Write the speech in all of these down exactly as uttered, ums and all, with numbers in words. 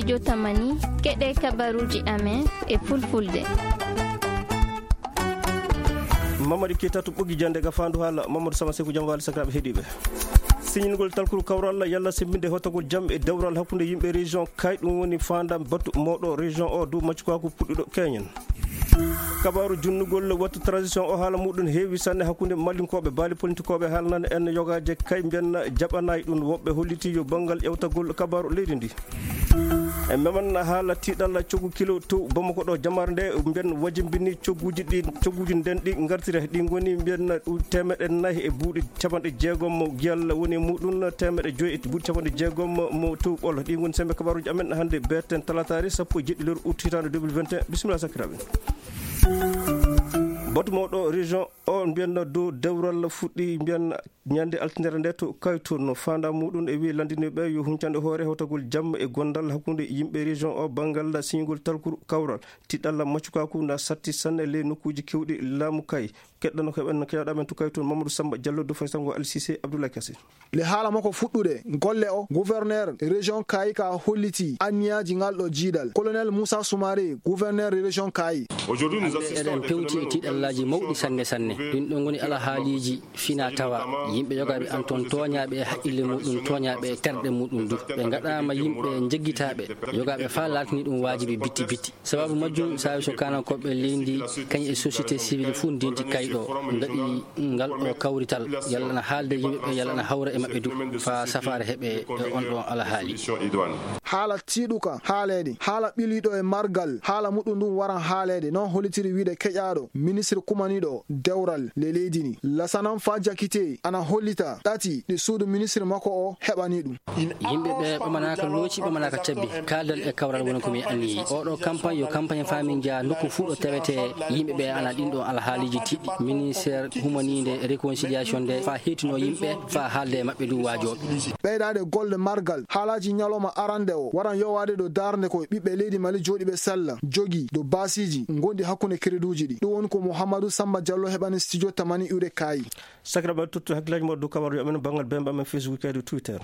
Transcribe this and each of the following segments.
Jotamani, keɗe kabaruuji amen e fulfulde. Mamadi Keita to ɓoggi jannde ga faandu haala Mamadou Sama Seku, jam waali sakiraaɓe heɗiiɓe. Siñingol talkuru kawral yalla semmbinde hotogol jam e dewral hakkunde yimɓe région Kay, ɗum woni faandam batu mawɗo région o dow maccukaaku puɗɗuɗo keñen. Kabaaru junnugol wattu transition o, haala muɗum heewi sanne hakkunde Malinkooɓe, baali politikooɓe haalnana en yogaaje Kay mbiyanna jaɓanaay ɗum. Woɓɓe holliti yo banngal ƴewtagol kabaaru leydi ndi. E meman haala tiiɗalla coggu kilo to Bamako ɗo, jamaare nde mbiyan wajimbini cogguuji ɗi, cogguuji nden ɗi ngartire, ɗi ngoni mbiyan ɗu teemeɗe nayi e buuɗi capanɗe jeegom mo giyal woni e muɗum, teemeɗe joyi e buuɗi capanɗe jeegom mo tuuɓol. Ɗi ngoni sembe kabaaruuji amen hannde, berten talataare sappo e jeɗɗi lewru août hitaande deux mille vingt et un. Bisimilla sakiraaɓe. Batu mawɗo région o mbiyanno dow dewral fuɗɗi mbiyan ñande altindere nde to Kaytoon. Faanda muɗum e wi lanndiniiɓe yo huncande hoore hewtagol jam e gondal hakkunde yimɓe région o banngal siñugol talkuru kawral. Tiɗɗalla maccukaaku na satti sanne ley nokkuuji kewɗi laamu Kay. Keɗɗano keɓen keɗaɗo amen to Kaytoon Mamadou Samba Diallo, do faysango Al Cissé, Abdoulaye Kassé. Le haala makko fuɗɗude golle o, gouverneur région Kay ka holliti anniyaaji ngal ɗo jiidal. Colonel Moussa Soumaré, gouverneur région Kay. Aujourd'hui, nous Hannde assistons eɗen pewti e tiiɗallaaji mawɗi sanne sanne. Ɗin ɗon ngoni alhaaliiji fina tawa. Yimɓe yogaaɓe an toon tooñaaɓe e haqqille muɗum, tooñaaɓe e terɗe muɗum du. Ɓe ngaɗaama yimɓe njeggitaaɓe, yogaaɓe faa laatini ɗum waajibi bitti bitti. Sababu majjum, saawi so kaanankooɓe leydi kañum e société civile fuu ndenti Kay ɗo, ngaɗi ngal ɗo kawrital, yalla na haalde yimɓe ɓe, yalla na hawra e maɓɓe du, faa safaare heɓe e on ɗon alhaali. Haala tiiɗuka haaleede, haala ɓiliiɗo e margal, haala muɗum ndun waran haaleede, non hollitiri wiide keƴaaɗo ministre kumaniiɗo dewral le leydi ndi. Lasanan faa jakitee ana hollita ɗati ɗi suudu ministre makko o heɓani ɗum. Yimɓe ɓe ɓamanaaka looci, ɓamanaaka cabbi. Kaaldal e kawral woni ko min anniyi. Oɗo campagne yo campagne faa min njaha nokku fuu ɗo tawetee yimɓe ɓe ana ɗin ɗon alhaaliiji tiɗɗi. Ministère humaniinde réconciliation nde faa heetino yimɓe, faa haalde e maɓɓe du waajooɓe. Ɓeydaade golle margal, haalaaji ñalawma arande o waran yowaade ɗo daarnde ko ɓiɓɓe leydi Mali jooɗiiɓe sella, jogii ɗo baasiiji ngonɗi hakkunde créduuji ɗi. Ɗum woni ko Mouhamadou Samba Diallo heɓani studio Tamani iwde Kaayi. Sakiraaɓe, tottu hakkillaaji mon dow kabaaruuji amen banngal bemba amen Facebook kadi Twitter.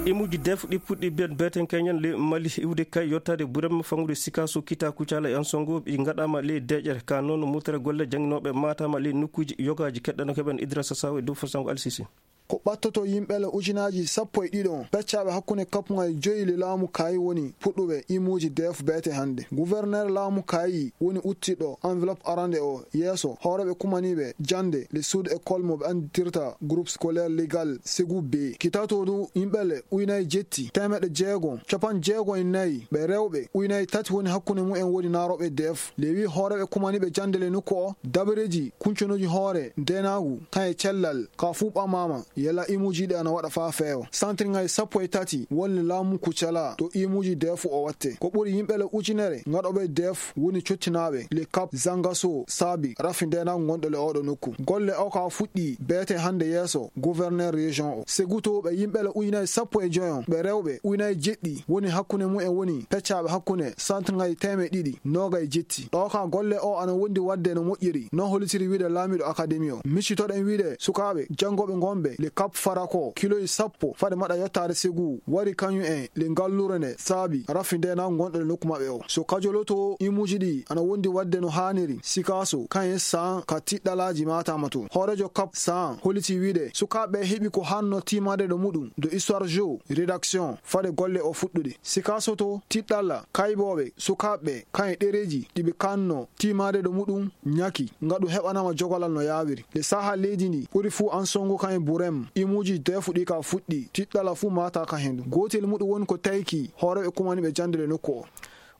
Imuuji def ɗi puɗɗi ben beten keñen le Mali iwde Kay yottaade Burem, fangude Sikaso, Kita, Kucala e Ansongo, ɗi ngaɗaama le deƴere. Ka noon, murtere golle jannginooɓe maataama le nokkuuji yogaaji. Keɗɗano keɓen Idrasa Saw e dow fasango Al Sisi. Ko ɓattoto yimɓe le ujunaaji sappo e ɗiɗo peccaaɓe hakkunde kappuŋal joyi le laamu Kaayi woni puɗɗuɓe imuuji def beete hannde. Gouverneur laamu Kaayi woni uttiɗo enveloppe arande o yeeso hooreeɓe kumaniiɓe jannde le suudu école mo ɓe anndirta groupe scolaire légal Ségou B. Kitato du yimɓe le ujunaaji jetti teemeɗɗe jeego capanɗe jeego e nayi ɓe rewɓe, ujunaaji tati woni hakkunde mumen woni naarooɓe def. Le wi hooreeɓe kumaniiɓe jannde le nokku o, dabareeji kuncunoji hoore ndeenaagu kaŋ e cellal ka fuu ɓamaama. Yalla imuuji ɗi ana waɗa faa feewa. Santirŋaaji sappo e tati woni laamu Kucala to imuuji deefu o watte. Ko ɓuri yimɓe le ujunere ngaɗooɓe deef woni cottinaaɓe le Cap, Zangaso, Saabi, rafi ndeenaagu ngonɗo le oɗo nokku. Golle o ka fuɗɗi beete hannde yeeso gouverneur région o. Segutuɓe yimɓe le ujunaaji sappo e joyo ɓe rewɓe, ujunaaji jeɗɗi woni hakkunde mumen woni peccaaɓe hakkunde santirŋaaji teemeɗɗe ɗiɗi noogay jetti. Ɗo ka golle o ana wondi waɗde no moƴƴiri, no hollitiri wiide laamiiɗo akademi o. Miccitoɗen wiide sukaaɓe janngooɓe ngonɓe le Cap Farako, kiloji sappo fade maɗa yottaade Segu, wari kañum en le ngalluure nde saabi rafi ndeenaagu ngonɗo le nokku maɓɓe o. So kajoloto imuuji ɗi ana wondi waɗde no haaniri, Sikaso, kañum en Saan ka tiɗɗalaaji maataama toon. Hooreejo Cap Saan holliti wiide sukaaɓe heɓi ko hanno tiimaade ɗo muɗum, do Histoire Géo, rédaction, fade golle o fuɗɗude. Sikaso to tiɗɗalla kaybooɓe sukaaɓe kañum e ɗereeji ɗi ɓe kanno tiimaade ɗo muɗum ñaki, ngaɗu heɓanaama jogolal no yaawiri. Le saha leydi ndi ɓuri fuu Ansongo kañum e Burem, imuuji deefu ɗi ka fuɗɗi, tiɗɗalla fuu maata ka hendu. Gootel muɗum woni ko tayki hooreeɓe kumaniiɓe jannde le nokku o.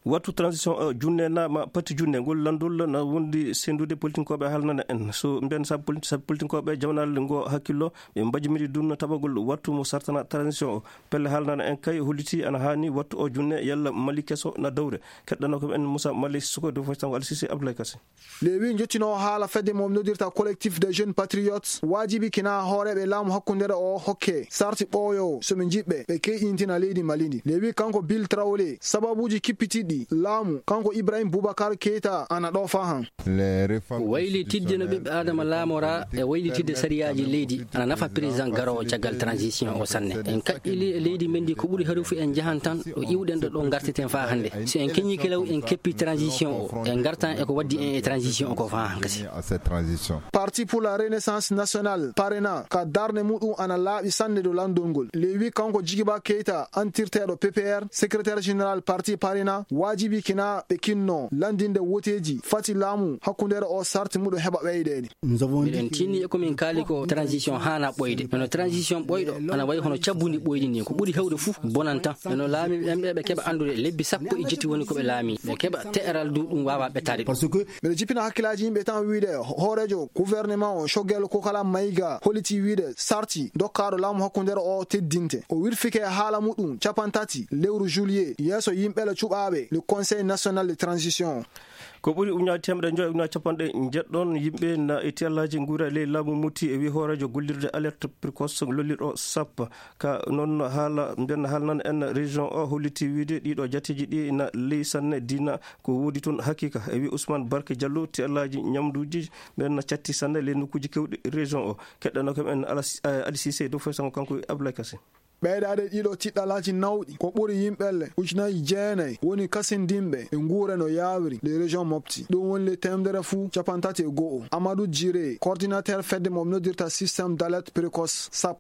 Wattu transition o junne naama pati junne ngol lanndol na wondi senndude politinkooɓe haalnana en. So mbiyan sabu politi-, sabu politinkooɓe jawnal ngo hakkillo, ɓe mbajimiri ɗum no taɓagol wattu mo sartana transition o. Pelle haalnana en kay holliti ana haani wattu o junne yalla Mali keso na dowre. Keɗɗano ko en Moussa Mali Sissoko dow faytango Al Sisi Abdoulaye Kassé. Lewi jottinoowo haala fedde mo noddirta Collectif des Jeunes Patriotes waajibi kina hooreeɓe laamu hakkundeere o hokke sarti ɓooyo so ɓe njiɗɓe ɓe keyɗintina leydi Mali ndi. Lewi kanko Bill Traoré sababuuji kippitiiɗi Laamu kanko Ibrahim Boubacar Keita ana ɗo fahan. Waylitidde no ɓiɓɓe Adama laamora e waylitidde sariyaaji leydi ana nafa président garoowo caggal transition o sanne. En kaƴƴili e leydi men ndi ko ɓuri harufu en njahan tan ɗo iwɗen ɗo ɗo ngarteten faa hannde. So en keñii kelaw en keppi transition o, en ngartan e ko waddi en e transition o ko faa hankasi. Parti pour la Renaissance Nationale, parena, ka darnde muɗum ana laaɓi sanne dow lanndol ngol. Lewi kanko Jigiba Keita, antirteeɗo P P R, secrétaire général parti parena, waajibi kina ɓe kinno lanndinde woteeji fati laamu hakkundere o sarti muɗum heɓa ɓeydeede. Miɗen tinni e ko min kaali ko transition haana ɓoyde. Kono transition ɓoyɗo ana wayi hono cabbundi ɓoydi ni. Ko ɓuri hewde fof bonanta. Kono laami ɓen ɓe ɓe keɓa anndude lebbi sappo e jetti woni ko ɓe laami. Ɓe keɓa te'eral du ɗum waawa ɓettaade ɗum. Miɗo jippina hakkilaaji yimɓe tan wiide hooreejo gouvernement o Choguel Kokala Maïga holliti wiide sarti dokkaaɗo laamu hakkundere o teddinte. O wirfike haala muɗum capantati lewru juillet yeeso yimɓe le cuɓaaɓe le Conseil national de transition. Ko ɓuri ujunaaji teemedde joy ujunaaji capanɗe jeɗɗon yimɓe na e tiyallaaji nguura e ley laamu muti e wi hooreejo gollirde alerte précoce lollirɗo sappo. Ka noon haala mbiyen haala nan en région o holliti wiide ɗiɗo jateeji ɗi na ley sanne dina ko woodi toon haqiqa e wi Ousmane Barke Diallo tiyallaaji ñamduuji ɓen na catti sanne ley nokkuuji kewɗi région o. Keɗɗano kam en Alas- eh, Ali Cissé dow foy sango kanko e Abdoulaye Kassé. Ɓeydaade ɗiɗo tiɗɗalaaji nawɗi ko ɓuri yimɓelle ujunaaji jeenayi woni kasindinɓe e nguure no yaawiri le région Mopti. Ɗum woni le teemedere fuu capantati e go'o. Amadou Djiré, coordinateur fedde mo noddirta système d'alerte précoce sap.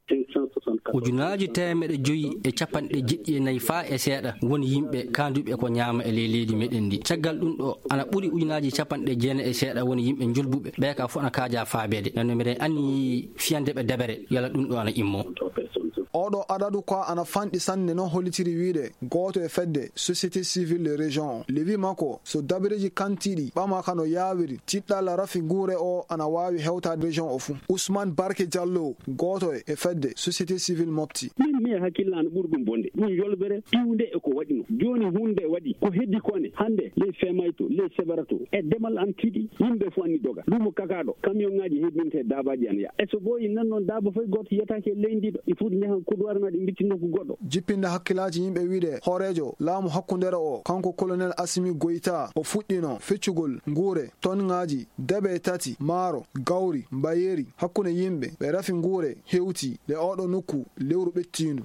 Ujunaaji teemeɗe joyi e capanɗe jeɗɗi e nayi faa e seeɗa woni yimɓe kaanduɓe ko ñaama e ley leydi meɗen ndi. Caggal ɗum ɗo ana ɓuri ujunaaji capanɗe jeenayi e seeɗa woni yimɓe njolbuɓe. Ɓe ka fof ana kaaja faabeede. Nden no miɗen anni fiyande ɓe dabere yala ɗum ɗo ana immo. Oɗo adadu ko ana fanɗi sanne no hollitiri wiide gooto e fedde société civile de région o. Lewi makko so dabareeji kantiiɗi ɓamaka no yaawiri tiɗɗalla rafi nguure o ana waawi hewtaade région o fuu. Ousmane Barke Diallo gooto e fedde société civile Mopti. Min mi hakkille an ɓuri ɗum bonde ɗum yolbere iwde e ko waɗi no jooni hunde waɗi ko heddi kone hannde ley femayto ley sebarato e demal an tiiɗi yimɓe fof anni doga lumo kakaɗo camion ngaji hebbinte dabaji an ya e so ɓooyi nan noon daba foy goto yiyatake e leydi ɗo ɗi fof njahan kuduwar ma ɗi mbitti nokku goɗɗo. Jippinde hakkilaaji yimɓe wiide hooreejo laamu hakkundere o kanko colonel Assimi Goïta o fuɗɗino feccugol nguure tonngaaji debe tati maaro gawri mbayeeri hakkunde yimɓe ɓe rafi nguure hewti le oɗo nokku lewru ɓettiindu.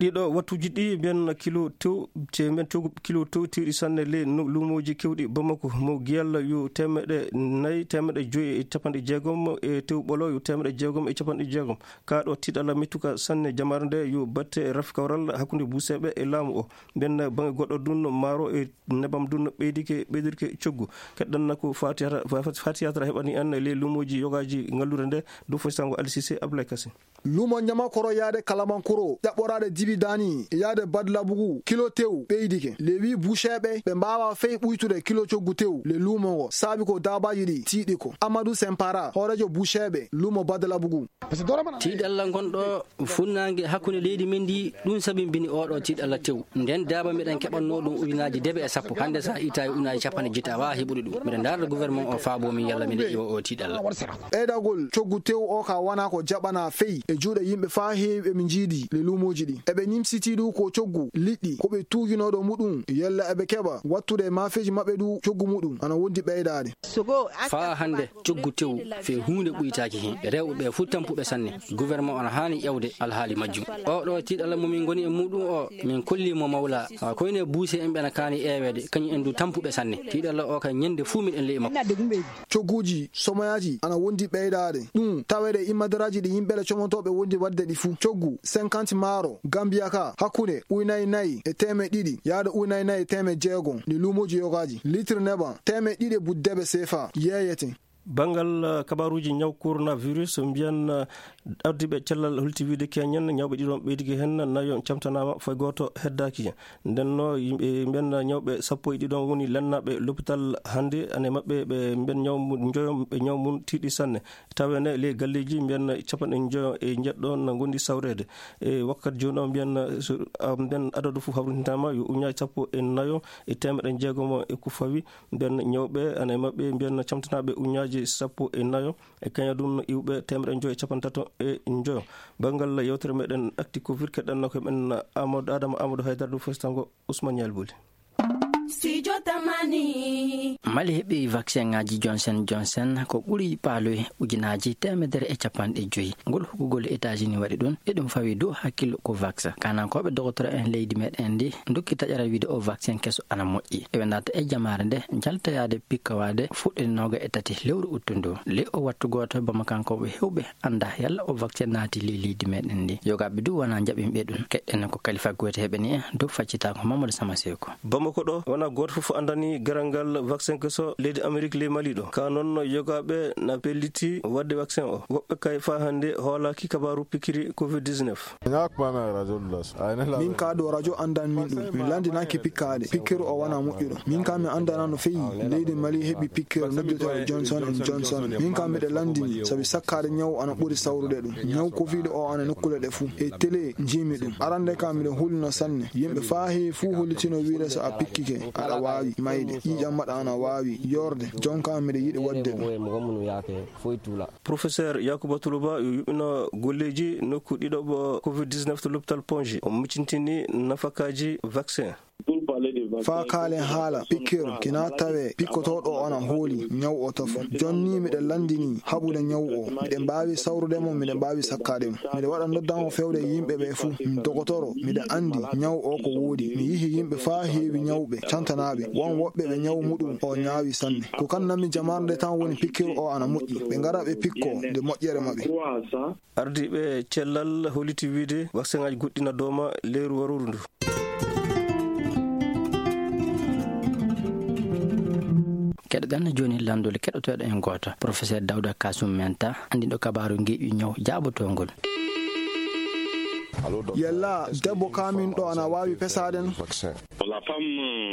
Ɗiɗo wattuuji ɗi mbiyen kilo tew te mbiyen tew kilo tew tewɗi sanne ley no- luumooji kewɗi Bamako mo giyalla yo teemeɗe nayi teemeɗe joyi e capanɗe jeegom e tew ɓolo yo teemeɗe jeegom e capanɗe jeegom. Kaa ɗo tiɗalla mettuka sanne jamaare nde yo batte rafi kawral hakkunde buuseeɓe e laamu o. Mbiyen baŋe goɗɗo dun maaro e nebam dun ɓeydike ɓeydirke coggu. Keɗɗanna ko fatiyata fatiyata heɓani en ley luumooji yogaaji ngalluure nde dow foy sango Alisise Abdoulaye Kassé. Lumo ñama koro yaade kalabankoro ƴaɓɓoraade dibi dani yaade badlabugu kilo tew ɓeydike le wi buceeɓe ɓe mbaawa fey ɓuytude kilo coggu tew le lumo ngo saabi ko daabaaji ɗi tiiɗi ko Amadou Sempara hooreejo buceeɓe lumo badlabugu. Tiiɗalla ngonɗo funnaange hakkunde leydi men ndi ɗum sabimbini oɗo tiiɗalla tew. Nden daaba meɗen keɓannoo ɗum ujunaaji debe e sappo hannde sa itta e ujunaaji capanɗe jetti a waawa heɓude ɗum. Miɗen ndaarda gouvernement o faabo min yalla miɗen iwa o tiiɗalla. Ɓeydagol coggu tew o ka wona ko jaɓana fey e juuɗe yimɓe faa heewi ɓe mi njiidi le luumooji ɗi eɓe nimsiti ɗu ko coggu liɗɗi ko ɓe tuujunooɗo muɗum yalla eɓe keɓa wattude e maafeeji maɓɓe ɗu coggu muɗum ana wondi ɓeydaade. Faa hannde coggu tew fee huunde ɓuytaaki heen. Rewɓe ɓee fof tampuɓe sanne. Gouvernement on haani ƴewde alhaali majjum. Oo ɗoo tiiɗalla mo min ngoni e muuɗum oo, min kollii mo mawla. Haa koyne buuse en ɓe na kaani ƴeeweede, kañum en du tampuɓe sanne. Tiiɗalla oo kay ñande fuu miɗen le'i makko. Cogguuji somoyaaji ana wondi ɓeydaade. Ɗum taweede e immadaraaji ɗi yimɓe le comotooɓe wondi waɗde ɗi fuu. Coggu cinquante maaro Gambiya ka hakkunde ujunaji nayi e teemeɗɗe ɗiɗi yaade ujunaji nayi e teemeɗɗe jeegom ndi luumooji yogaaji. Litre neban teemeɗɗe ɗiɗi e buɗɗi debe seefa yeeyete. Banngal, eh, kabaruuji ñaw coronavirus, mbiyan, eh, ardiiɓe cellal holti wiide keñen ñawɓe ɗiɗon ɓeydike heen, nayo camtanaama, fay gooto heddaaki. Nden no yimɓe mbiyan ñawɓe sappo e ɗiɗon woni lennaaɓe lopital hannde, ane maɓɓe ɓe mbiyan ñaw mum njoyo, ɓe ñaw mum tiiɗi sanne. Taweene ley galleeji mbiyan capanɗe njoyo e njeɗɗo na ngondi sawreede. E wakkati jooni o mbiyan, so, ah, mbiyan adadu fof hawrintintaama yo uñaaji sappo e nayo e teemeɗe jeegom e ko fawi. Mbiyan ñawɓe ana e maɓɓe mbiyan camtanaaɓe uñaaji sappo e nayo e kañadun iwɓe teemeɗe njoyo e capanɗe tato e njoyo. Banngal yewtere meɗen Actu Covid keɗɗanno ko men Amadou Adama Amadou Haydara ɗum fof tango Ousmane Ñaali Boli. Studio Tamani. Mali heɓi vaccin ŋaaji Johnson Johnson ko ɓuri paaloy ujunaaji teemedere e capanɗe joyi. Ngol huggugol États-Unis waɗi ɗum, e ɗum fawi dow hakkillo ko vaccin. Kaanankooɓe dogotoro en leydi meɗen ndi ndokki taƴara wiide o vaccin keso ana moƴƴi. Eɓe naata e jamaare nde jaltoyaade pikkowaade fuɗɗinooga e tati lewru uttu ndu. Ley o wattu gooto Bamakankooɓe hewɓe annda yalla o vaccin naati ley leydi meɗen ndi. Yogaaɓe du wona jaɓinɓe ɗum. Keɗɗen ko Kalifa Goyte heɓani en dow faccitaako Mamadou Sama Seko. Bamako ɗo wona gooto fof anndani garal ngal vaccin keso leydi Amérique ley Mali ɗo. Ka noon yogaaɓe na pelliti waɗde vaccin o. Woɓɓe kay faa hannde hoolaaki kabaaru pikiri covid dix-neuf. Min ka ɗo radio anndan min ɗum. Mi lanndinaaki pikkaade. Pikkiri o wona moƴƴuɗo. Min ka mi anndana no feyi. Leydi Mali heɓi pikkiri noddeteeɗo Johnson and Johnson. Min ka miɗo lanndini sabi sakkaade ñaw ana ɓuri sawrude ɗum. Ñaw covid o ana nokkule ɗe fuu. E télé njiimi ɗum. Arande ka miɗo hulino sanne. Yimɓe faa heewi fuu hollitino wiide so a pikkike, aɗa waawi mayde. Ƴiiƴam maɗa ana waawi yoorde. Jonka miɗo yiɗi waɗde ɗum. Professeur Yakuba Tuluba yo yuɓɓino golleeji nokku ɗiɗaɓo covid dix-neuf to l'hôpital Ponji. O micintini nafakaaji vaccin. Faa kaalen haala pikkir kina tawe pikkotooɗo ana hooli ñaw o tafo. Jonni miɗen lanndini haɓude ñaw o. Miɗen mbaawi sawrude mo, miɗen mbaawi sakkaade mo. Miɗen waɗa noddan o fewde yimɓe ɓe fuu. Mi dogotoro, miɗen anndi ñaw o ko woodi. Mi yihi yimɓe faa heewi ñawɓe, cantanaaɓe. Won woɓɓe ɓe ñaw muɗum o ñaawi sanne. Ko kan nami jamaarde tan woni pikkir o ana moƴƴi. Ɓe ngara ɓe pikko nde moƴƴere maɓɓe. Ardiiɓe cellal holliti wiide vaccin aji goɗɗi na dooma leyru waruru ndu. Keɗoɗen jooni lanndol keɗotooɗo en gooto, Professeur Dawda Kasum Menta, anndiɗo kabaaru ngeeƴu ñaw jaabotoongol. Yalla debbo kaaminɗo ana waawi pesaade no?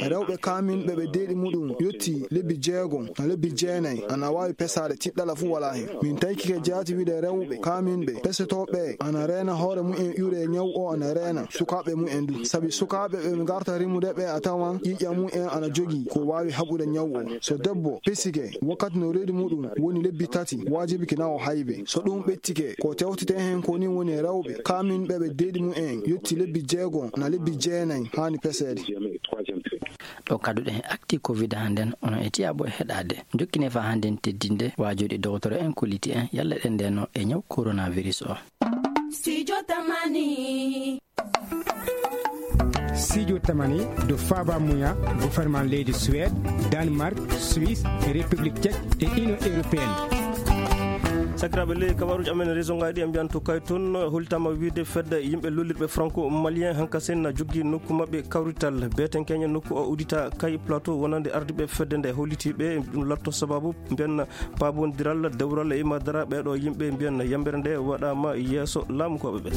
Rewɓe kaaminɓe ɓe deeɗi muɗum yotti lebbi jeego, na lebbi jeenay, ana waawi pesaade, tiɗɗala fuu walaa hen. Min taykike jaati wiide rewɓe kaaminɓe pesetooɓe ana reena hoore mumen ƴure ñaw o ana reena sukaaɓe mumen du. Sabi sukaaɓe ɓe ngarta rimude ɓe a tawan ƴiiƴam mumen ana jogii ko waawi haɓude ñaw o. So debbo pesike wakkati no reedi muɗum woni lebbi tati, waajibi kina o haybe. So ɗum ɓettike, ko tewtete hen ko ni woni rewɓe kaaminɓe ɓe deeɗi mumen yotti lebbi jeego na lebbi jeenay haani peseede. Ɗo kadduɗen e actu covid hannden, onon e tiyaabo e heɗaade. Jokkine faa hannden teddinde waajooɗi dogotoro en kolliti en yalla ɗen ndeno e ñaw coronavirus o. Studio Tamani. Studio Tamani do faaba muya gouvernement leydi Suède, Danemark, Suisse, République Tchèque e Union Européenne. Sakiraaɓe, ley kabaruuji amen région ngaaji ɗi en mbiyan to kay toon, hollitaama wiide fedde yimɓe lollirɓe franco malien hankasen na joggi nokku maɓɓe kawrital. Beeten keñe nokku o udita kay plateau wonande ardiiɓe fedde nde hollitiiɓe ɗum latto sababu mbiyan paabondiral dewral e imadara ɓeeɗo yimɓe mbiyan yambere nde waɗaama yeeso laamukooɓe ɓe.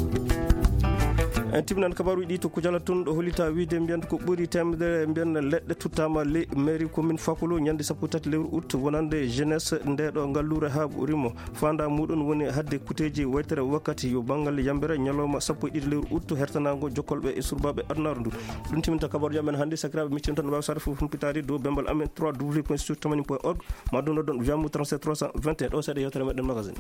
En timminan kabaruuji ɗi to Kujala toon ɗo hollita wiide mbiyan ko ɓuri teemedere mbiyan leɗɗe tuttaama ley mairie commune Fakolo ñande sappo tati lewru août wonande jeunesse nde ɗo ngalluure haa ɓurimo. Faanda muɗum woni hadde kuteeji waytere wakkati yo banngal yambere ñalawma sappo e ɗiɗi lewru août hertanaango jokkolɓe e surbaaɓe adunaaru ndu. Ɗum timminta kabaruuji amen hannde. Sakiraaɓe, miccen tan waawi sarde fof humpitaade dow bembal amen trois w point studio tamani point org. Ma ɗum noddon wiyamu trente-sept trois cent vingt et un. Ɗo seeɗa yewtere meɗen magazine.